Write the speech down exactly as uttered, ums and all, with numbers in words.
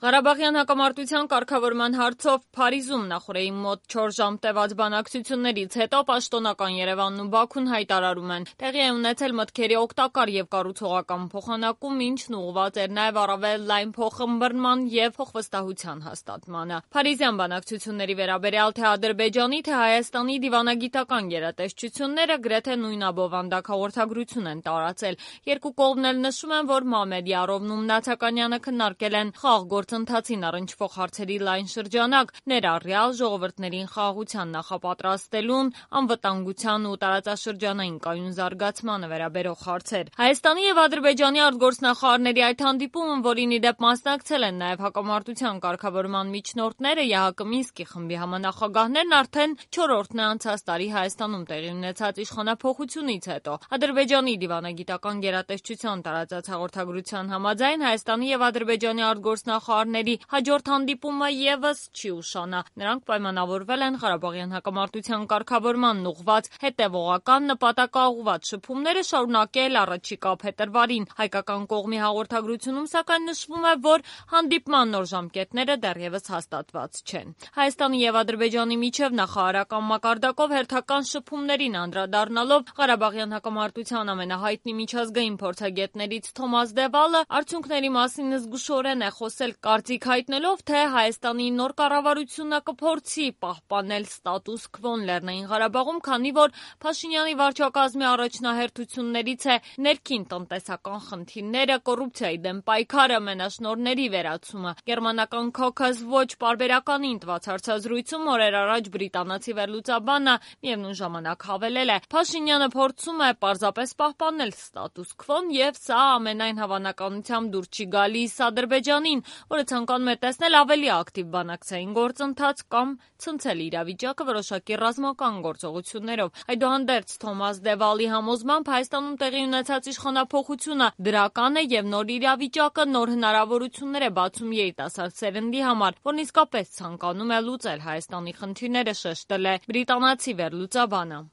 Ղարաբաղյան հակամարտության կարգավորման հարցով Փարիզում նախորդի մոտ չորս ժամ տևած բանակցություններից հետո պաշտոնական Երևանն ու Բաքուն հայտարարում են. տեղի է ունեցել մտքերի օգտակար եւ կառուցողական փոխանակում, ինչն ուղղված էր նաեւ առավել լայն փոխըմբռնման եւ փոխվստահության հաստատմանը։ Փարիզյան բանակցությունների վերաբերյալ թե Ադրբեջանի, թե Հայաստանի դիվանագիտական գերատեսչությունները գրեթե նույն աբովանդակ հաղորդագրություն են տարածել։ Երկու կողմն էլ նշում են, որ Մամեդյարովն ու Մնացականյանը քննարկել են խաղ գործընթացին առնչվող հարցերի լայն շրջանակ, ներառյալ ժողովուրդներին խաղաղության նախապատրաստելուն, անվտանգության ու տարածաշրջանային կայուն զարգացմանը վերաբերող հարցեր։ Հայաստանի եւ Ադրբեջանի արտգործնախարարների այդ հանդիպումը, որին ի դեպ մասնակցել են նաեւ հակամարտության կարգավորման միջնորդները, ԵԱՀԿ Մինսկի խմբի համանախագահներն, արդեն չորրորդն է անցած տարի Հայաստանում տեղի ունեցած իշխանափոխությունից հետո։ Ադրբեջանի դիվանագիտական գերատեսչության տարածած հաղորդագրության համաձայն Հայաստանի եւ Ադրբեջանի արտգործնախարարների հաջորդ հանդիպումը եւս չի ուշանա։ Նրանք պայմանավորվել են Ղարաբաղյան հակամարտության կարգավորմանն ուղղված հետեւողական նպատակաուղղված շփումները շարունակել առաջիկա փետրվարին։ Հայկական կողմի հաղորդագրությունում սակայն նշվում է, որ հանդիպման նոր ժամկետները դեռևս հաստատված չեն։ Հայաստանի եւ Ադրբեջանի միջև նախարարական մակարդակով հերթական շփումներին անդրադառնալով Ղարաբաղյան հակամարտության ամենահայտնի միջազգային փորձագետներից Թոմաս Դևալը արդյունքների մասին զգուշորեն է խոսել, կարծիք հայտնելով, թե Հայաստանի նոր կառավարությունը կփորձի պահպանել ստատուս քվոն Լեռնային Ղարաբաղում, քանի որ Փաշինյանի վարչակազմի առաջնահերթություններից է ներքին տնտեսական խնդիրները, կոռուպցիայի դեմ պայքարը, մենաշնորհների վերացումը։ Գերմանական Caucus Watch պարբերականին տված հարցազրույցում օրեր առաջ բրիտանացի վերլուծաբանը միևնույն ժամանակ հավելել է. Փաշինյանը փորձում է պարզապես պահպանել ստատուս քվոն եւ սա ամենայն հավանականությամբ դուր չի գալիս Ադրբեջանին, որը ցանկանում է տեսնել ավելի ակտիվ բանակցային գործընթաց կամ ցնցել իրավիճակը որոշակի ռազմական գործողություններով։ Այդուհանդերձ Թոմաս Դևալի համոզմամբ Հայաստանում տեղի ունեցած իշխանափոխությունը դրական է եւ նոր իրավիճակը նոր հնարավորություններ է բացում երիտասարդ սերնդի համար, որն իսկապես ցանկանում է լուծել Հայաստանի խնդիրները, շեշտել է բրիտանացի վերլուծաբանը։